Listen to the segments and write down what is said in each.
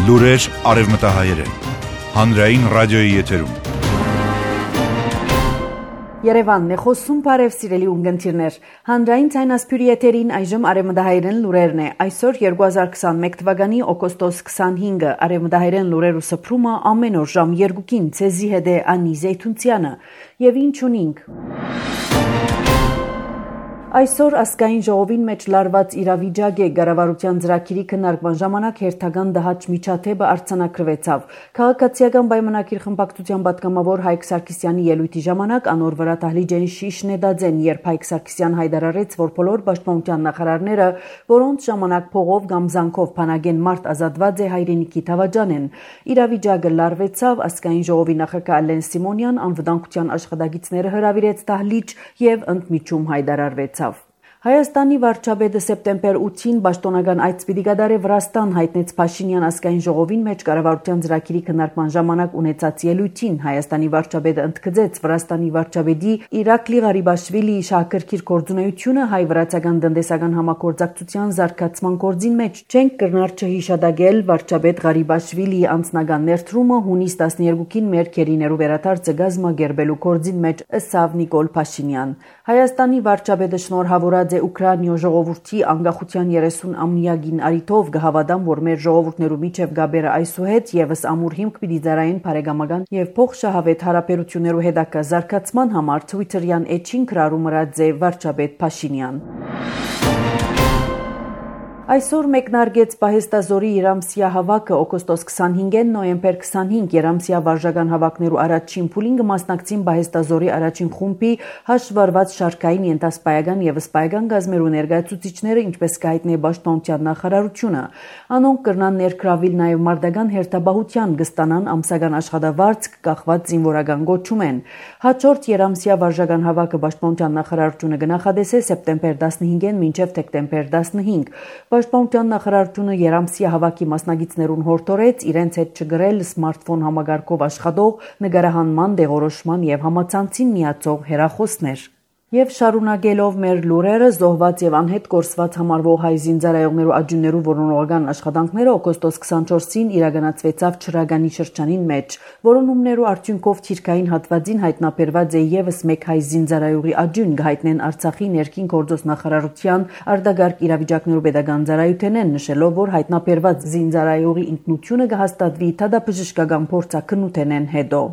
Լուրեր արևմտահայերեն։ Հանրային ռադիոյի եթերում։ Երևանն է խոսում, բարև սիրելի ունգընտիրներ։ Հանրային ցայնասփյուրի եթերին այժմ արևմտահայերեն լուրերն է։ Այսօր 2021 թվականի օգոստոս 25-ը արևմտահայերեն լուրերու սփռումը ամեն օր ժամ 2-ին ցեզի հետ է Անի Զեյթունցյանը։ Եվ ինչ ունենք։ Այսօր ազգային ժողովին մեջ լարված իրավիճակ է կառավարության ծրագիրի քննարկման ժամանակ հերթական դահաճ միջադեպը արձանագրվեցավ։ Քաղաքացիական պայմանագիր խմբակցության պատգամավոր Հայկ Սարգսյանի ելույթի ժամանակ անոր վրա դահլիճեն շիշն է դածեն, երբ Հայկ Սարգսյան հայտարարեց, որ բոլոր պաշտպանության նախարարները, որոնց ժամանակ փողով կամ զանգով փանագեն մարդ ազատված է հայրենիքի դավաճանեն։ Իրավիճակը լարվեցավ, ազգային ժողովի նախագահ Ալեն Սիմոնյան անվտանգության աշխատակիցները հրավիրեց դահլիճ եւ ընդմիջում հայտարարվեց։ Հայաստանի վարչապետը սեպտեմբեր 8-ին պաշտոնական այց պիտի կատարի Վրաստան, հայտնեց Փաշինյան ազգային ժողովին մեջ կառավարության ծրագիրի քննարկման ժամանակ ունեցած ելույթին։ Հայաստանի վարչապետը ընդգծեց Վրաստանի վարչապետի Իրակլի Ղարիբաշվիլիի շահագրգիռ գործունեությունը հայ-վրացական տնտեսական համագործակցության զարգացման գործին մեջ։ Չենք կրնար չհիշադակել վարչապետ Ղարիբաշվիլիի անձնական ներդրումը հունիս 12-ին մեր քերիներու վերադարձը գազմագերբելու գործին մեջ, ըստ Նիկոլ Փաշինյան։ Հայաստանի վարչապետը շնորհավորած Ուկրաինա ժողովրդի անկախության 30-ամյակին արիթով կհավատամ, որ մեր ժողովուրդներու միջև գաբերը այսուհետ եւս ամուր հիմք պիտի ծառայեն բարեկամական եւ փոխշահավետ հարաբերություններու հետագա զարգացման համար Twitter-յան էջին գրառում ըրած է վարչապետ Փաշինյան։ Այսօր մեկնարկեց Պահեստազորի երամսյա հավաքը օգոստոս 25-ին նոյեմբեր 25 երամսյա վարժական հավաքներու առաջին փուլին կմասնակցին Պահեստազորի առաջին խումբի հաշվառված շարքային ենթասպայական եւ սպայական գազմերու ներկայացուցիչները, ինչպես կհայտնի պաշտպանության նախարարությունը։ Անոնք կրնան ներգրավել նաեւ մարտական հերթապահության կստանան ամսական աշխատավարձ կախված զինվորական գոչումեն։ Հաջորդ երամսյա վարժական հավաքը պաշտպանության նախարարությունը կնախադեսե սեպտեմբեր 15-ին մինչեւ դեկտեմբեր 15։ Պաշտպանության նախարարությունը երամսյա հավաքի մասնագետներուն հորդորեց իրենց հետ չգրել սմարթֆոն համակարգով աշխատող նկարահանման, դեղորոշման եւ համացանցին միացող հեռախոսներ։ Եվ շարունակելով մեր լուրերը, զոհված եւ անհետ կորսված համարվող հայ զինծառայողներու աջուններու որոնողական աշխատանքները օգոստոս 24-ին իրականացվեցավ Չրագանի շրջանին մեջ, որոնումներու արդյունքով թիրքային հատվածին հայտնաբերված է եւս մեկ հայ զինծառայողի աջուն, կհայտնեն Արցախի ներքին գործոս նախարարության արտագարկ իրավիճակներու pedagogan ծառայությունեն, նշելով, որ հայտնաբերված զինծառայողի ինքնությունը կհաստատվի դատաբժշկական փորձաքննութենեն հետո։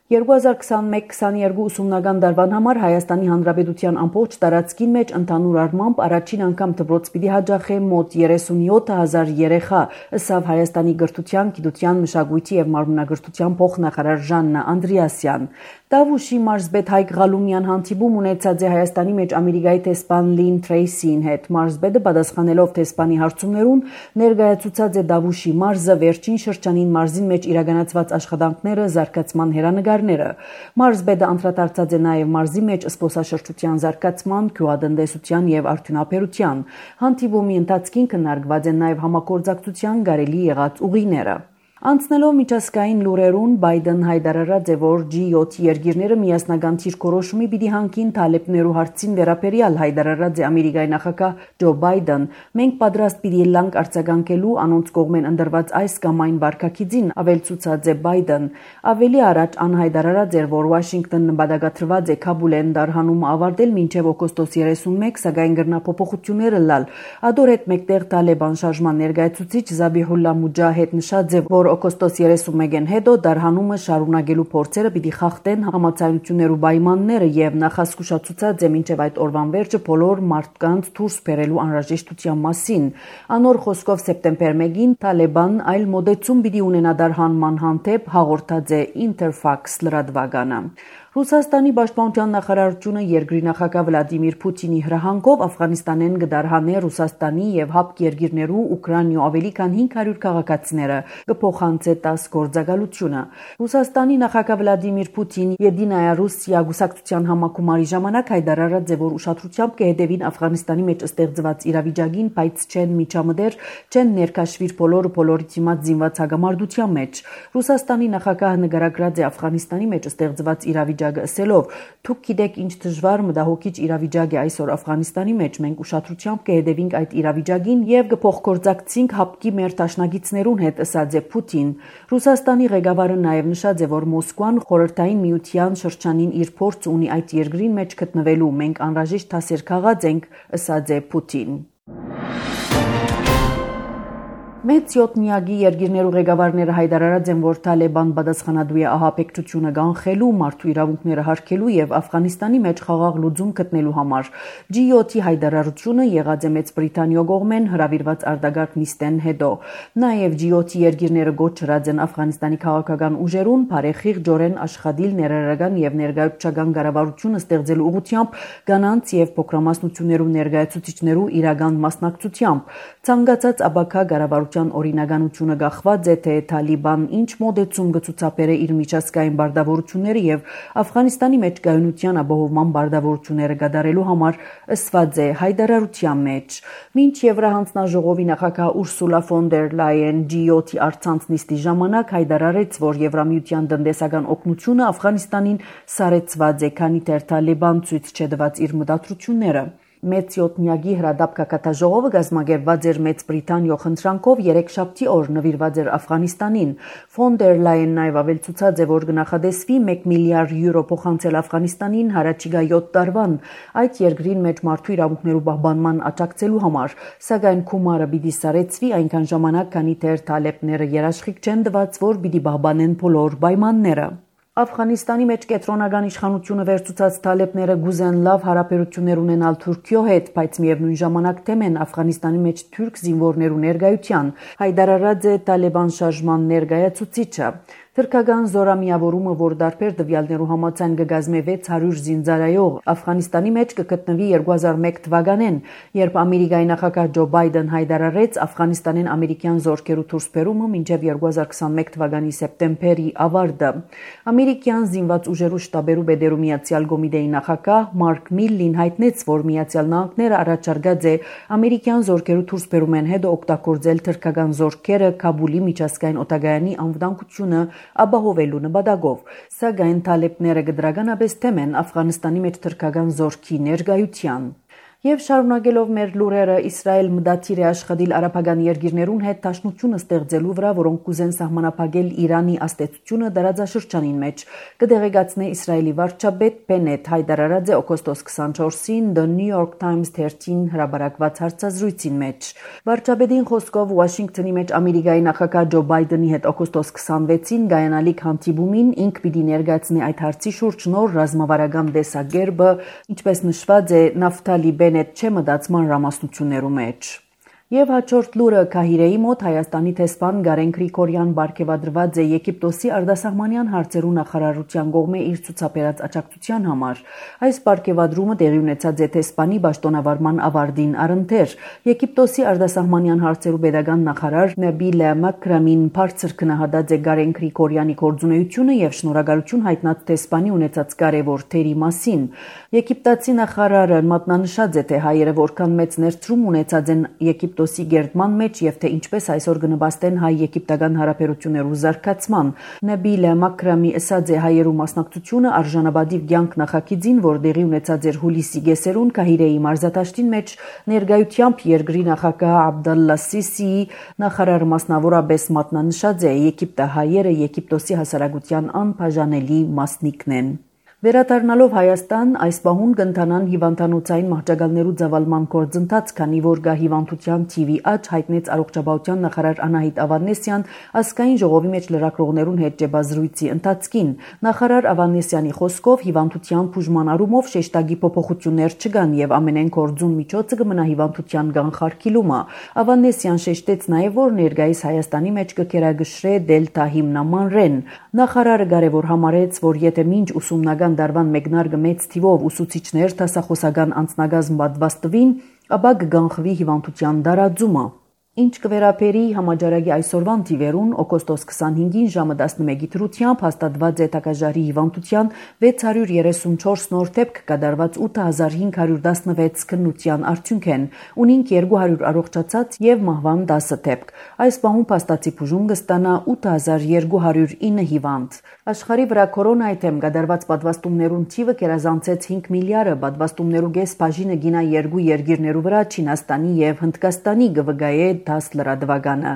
2021-22 ուսումնական տարվան համար Հայաստանի Հանրապետության ամբողջ տարածքին մեջ ընդհանուր առմամբ առաջին անգամ դպրոց պիտի հաջախե մոտ 37,000 երեխա, ըստ Հայաստանի կրթության, գիտության, մշակույթի եւ մարմնագրթության փոխնախարար Ժաննա Անդրեասյան։ Դավուշի մարզպետ Հայկ Ղալումյան հանդիպում ունեցած է Հայաստանի մեջ Ամերիկայի տեսփան Լին Թրեյսին հետ։ Մարզպետը պատասխանելով տեսփանի հարցումներուն ներկայացուցած է Դավուշի մարզը վերջին շրջանին մարզին մեջ իրականացված աշխատանքները, զարգացման հերանեկարները։ Մարզպետը անդրադարձած է նաև մարզի մեջ զբոսաշրջության զարգացման, գյուղատնտեսության եւ արդյունաբերության։ Հանդիպումի ընթացքին քննարկված են նաև համագործակցության կարելի եղած ուղիները։ Անցնելով միջազգային լուրերուն, Բայդեն հայտարարած է, որ G7 երկիրները միասնական թիրքորոշումի պիտի հանգին թալեբներու հարցին վերաբերյալ հայտարարած է Ամերիկայի նախագահ Ջո Բայդեն։ Մենք պատրաստ պիտի լանք արձագանքելու անոնց կողմեն ընդրված այս կամ այն վարկագիծին, ավելցուցած է Բայդեն։ Ավելի առաջ անհայտարարած էր, որ Վաշինգտոնը նպատակադրված է Քաբուլեն դարհանումը ավարտել մինչև օգոստոս 31, սակայն գրնապոփոխությունները լալ։ Ադոր հետ մեկտեղ Տալեբան շարժման ներկայացուցիչ Զաբիհուլլա Մուջահեդ նշած է, որ օգոստոս 31-ին հետո դարհանումը շարունակելու փորձերը պիտի խախտեն համաձայնություններու պայմանները եւ նախազգուշացուցած է մինչեւ այդ օրվան վերջը բոլոր մարդկանց դուրս բերելու անհրաժեշտության մասին։ Անոր խոսքով սեպտեմբեր 1-ին Տալեբան այլ մոդեցում պիտի ունենա դարհանման հանդեպ, հաղորդած է Interfax լրատվականը։ Ռուսաստանի պաշտպանության նախարարությունը երկրի նախագահ Վլադիմիր Պուտինի հրահանգով Աֆղանստանեն կդարհանե Ռուսաստանի եւ ՀԱՊԿ երկիրներու Ուկրաինա ավելի քան 500 քաղաքացիները կփոխանցե 10 գործակալությունը։ Ռուսաստանի նախագահ Վլադիմիր Պուտին Եդինայա Ռուսիա գուսակցության համակումարի ժամանակ հայտարարած է, որ ուշադրությամբ կհետևին Աֆղանստանի մեջ ստեղծված իրավիճակին, բայց չեն միջամտեր, չեն ներկաշվիր բոլորի դիմաց զինված հագամարտության մեջ։ Ռուսաստանի նախագահը նկարագրած է Աֆղանստանի մեջ ստեղծված իրավիճակի իրավիճակը ասելով. «Դուք գիտեք ինչ դժվար մտահոգիչ իրավիճակ է այսօր Աֆղանիստանի մեջ, մենք ուշադրությամբ կհետևենք այդ իրավիճակին եւ կփոխգործակցենք հապկի մեր դաշնակիցներուն հետ», ասաց է Պուտին։ Ռուսաստանի ղեկավարը նաեւ նշած է, որ Մոսկվան խորհրդային միության շրջանին իր փորձ ունի այդ երկրին մեջ գտնվելու, մենք անհրաժեշտ դասեր քաղած ենք, ասաց է Պուտին։ Մեծ 7-միակի երկիրներու ղեկավարները հայտարարած են, որ Թալիբան պատասխանատու է ահաբեկչությունը կանխելու, մարդու իրավունքները հարգելու եւ Աֆղանիստանի մեջ խաղաղ լուծում գտնելու համար։ G7-ի հայտարարությունը եղած է Մեծ Բրիտանիա կողմեն հրավիրված արտագաղթ նիստեն հետո։ Նաեւ G7-ի երկիրները գոչրած են Աֆղանիստանի քաղաքական ուժերուն բարեխիղճորեն աշխատիլ ներառական եւ ներկայացուցչական կառավարությունը ստեղծելու ուղղությամբ կանանց եւ փոքրամասնություններու ներկայացուցիչներու իրական մասնակցությամբ։ Ցանկացած աբակա կառավարության օրինականությունը գախված է, թե Թալիբան ինչ մոդեցում կցուցաբերե իր միջազգային բարդավորությունները եւ Աֆղանիստանի մեջ կայունության ապահովման բարդավորությունները կատարելու համար, ըսված է հայտարարության մեջ։ Մինչ Եվրահանձնաժողովի նախագահ Ուրսուլա ֆոն դեր Լայեն G7-ի առցանց նիստի ժամանակ հայտարարեց, որ Եվրամիության տնտեսական օգնությունը Աֆղանիստանին սարեցված է, քանի դեռ Թալիբան ցույց չտված իր մտադրությունները։ Մեծ 7-միակի հրադապ կակատաժողովը կազմակերպված էր Մեծ Բրիտանիա խնդրանքով երեքշաբթի օր նվիրված էր Աֆղանիստանին։ Ֆոն դեր Լայեն նաև ավելցուցած է, որ կնախադեсվի 1 միլիարդ յուրո փոխանցել Աֆղանիստանին հարաճիգա 7 տարվան այդ երկրին մեջ մարդու իրավունքներու պահպանման աջակցելու համար, սակայն գումարը պիտի սարեցվի այնքան ժամանակ, քանի դեռ թալեբները երաշխիք չեն տված, որ պիտի պահպանեն բոլոր պայմանները։ Աֆղանիստանի մեջ կենտրոնական իշխանությունը վերցուցած թալեբները գուզեն լավ հարաբերություններ ունենալ Թուրքիո հետ, բայց միևնույն ժամանակ թեմ են Աֆղանիստանի մեջ թուրք զինվորներու ներկայության, հայտարարած է Թալիբան շարժման ներկայացուցիչը։ Թուրքական զորամիավորումը, որ դարբեր տվյալներու համաձայն կգազմե 600 զինծառայող, Աֆղանիստանի մեջ կգտնվի 2001 թվականին, երբ Ամերիկայի նախագահ Ջո Բայդեն հայտարարեց Աֆղանիստանին ամերիկյան զորքերու դուրսբերումը մինչև 2021 թվականի սեպտեմբերի ավարտը։ Ամերիկյան զինված ուժերու շտաբերու բեդերու միացյալ կոմիտեի նախագահ Մարկ Միլլին հայտնեց, որ Միացյալ Նահանգները առաջարկած է ամերիկյան զորքերու դուրսբերումեն հետո օգտագործել թուրքական զորքերը Քաբուլի միջազգային օդանավակայանի անվտանգությունը ապահովելու նպատակով, սակայն թալեբները կդրականապես թեմ են Աֆղանիստանի մեջ թուրքական զորքի ներկայության։ Եվ շարունակելով մեր լուրերը, Իսրայել մտադիր է աշխատել արաբական երկիրներուն հետ դաշնությունը ստեղծելու վրա, որոնք կուզեն սահմանափակել Իրանի ազդեցությունը տարածաշրջանին մեջ, կդեղեկացնե Իսրայելի վարչապետ Բենեթ հայտարարած է օգոստոս 24-ին The New York Times 13 հրապարակված հարցազրույցին մեջ։ Վարչապետին խոսքով Վաշինգտոնի մեջ Ամերիկայի նախագահ Ջո Բայդենի հետ օգոստոս 26-ին գայանալիք հանդիպումին ինք պիտի ներկայացնի այդ հարցի շուրջ նոր ռազմավարական տեսակերպը, ինչպես նշված է Նավթալի Բենեթ չէ մտածման ռամասնություններու մեջ։ Եվ հաջորդ լուրը Քահիրեի մոտ Հայաստանի տեսփան Գարեն Գրիգորյան բարգեւադրված է Եգիպտոսի արտասահմանյան հարցերու նախարարության կողմէ իր ցուցաբերած աջակցության համար։ Այս բարգեւադրումը տեղի ունեցած է տեսփանի պաշտոնավարման ավարտին առընթեր։ Եգիպտոսի արտասահմանյան հարցերու pedagogan նախարար Նաբիլա Մակրամին բարձր քննադատած է Գարեն Գրիգորյանի գործունեությունը եւ շնորհակալություն հայտնած տեսփանի ունեցած կարեւոր թերի մասին։ Եգիպտացի նախարարը մատնանշած է, թե հայերը որքան մեծ ներդրում ունեցած են Եգիպտոսի գերտման մեջ եւ թե ինչպես այսօր կնպաստեն հայ-եգիպտական հարաբերություններու զարգացման։ Նաբիլա Մակրամի ասած է հայերու մասնակցությունը արժանապատիվ կյանք նախագիծին, որ տեղի ունեցած էր հուլիսի գեսերուն Քահիրեի մարզադաշտին մեջ ներկայությամբ երկրի նախագահ Աբդալլա Սիսիի նախարարը մասնավորապես մատնանշած է Եգիպտը հայերը Եգիպտոսի հասարակության անբաժանելի մասնիկն են։ Վերադառնալով Հայաստան, այս պահուն կընթանան հիվանդանոցային մահճակալներու ծավալման գործընթաց, քանի որ գա հիվանդության թիվի աճ, հայտնեց առողջապահության նախարար Անահիտ Ավանեսյան ազգային ժողովի մեջ լրագրողներուն հետ ճեպազրույցի ընթացքին։ Նախարար Ավանեսյանի խոսքով հիվանդության բուժման առումով շեշտագի փոփոխություններ չկան եւ ամենեն կորձուն միջոցը կմնա հիվանդության կանխարգելումը։ Ավանեսյան շեշտեց նաեւ, որ ներկայիս Հայաստանի մեջ կկերակշռե դելտա հիմնամանրեն։ Նախարարը կարևոր համարեց, որ եթե մինչ ուսումնական դարվան մեկնարկը մեծ թիվով ուսուցիչներ դասախոսական անձնագազմ պատվաստվին, ապա կգանխվի հիվանդության դարաձումը։ Ինչ կվերապերի համաճարակի այսօրվան թիվերուն օգոստոս 25-ին ժամը 11-ի դրությամբ հաստատված է տակաժարի հիվանդության 634 նոր դեպք կատարված 8516 քննության արդյունք են, ունինք 200 առողջացած եւ մահվան 10 դեպք։ Այս պահում փաստացի բուժում կստանա 8209 հիվանդ։ Աշխարհի վրա կորոնայի դեմ կատարված պատվաստումներուն թիվը կերազանցեց 5 միլիարդը, պատվաստումներու կես բաժինը գինա երկու երկիրներու վրա Չինաստանի եւ Հնդկաստանի գվգայե 10 լրատվականը։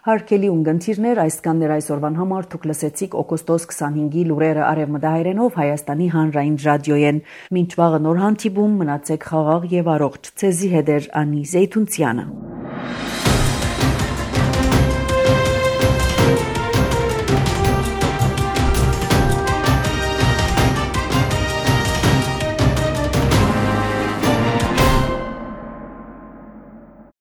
Հարկելի ունգընթիրներ, այսքաններ այսօրվան համար դուք լսեցիք օգոստոս 25-ի լուրերը արևմտահայերենով Հայաստանի հանրային ռադիոյեն։ Մինչ վաղը նոր հանդիպում, մնացեք խաղաղ եւ առողջ։ Ցեզի հետ է Անի Զեյթունցյանը։